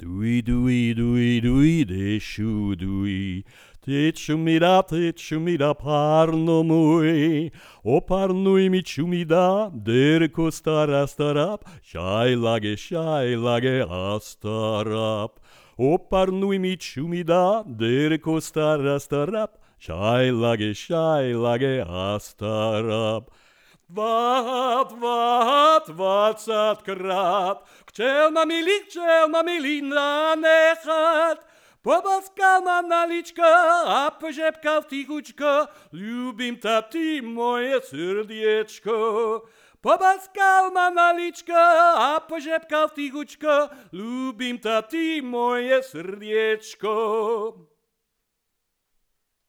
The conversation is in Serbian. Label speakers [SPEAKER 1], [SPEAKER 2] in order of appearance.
[SPEAKER 1] Dui, dui, dui, dui, desciu, dui. Tecciumida, parno mui. O parnui mi ciumida, der costar astarap. Shai lage astarap. O parnui mi ciumida, der costar astarap. Shai lage astarap. Wat zat krat, kcel mamili na nechat. Pobaska manalička, a požepka vtichučka, ljubim tati moje srdiečko. Pobaska manalička, a požepka vtichučka, ljubim tati moje srdiečko.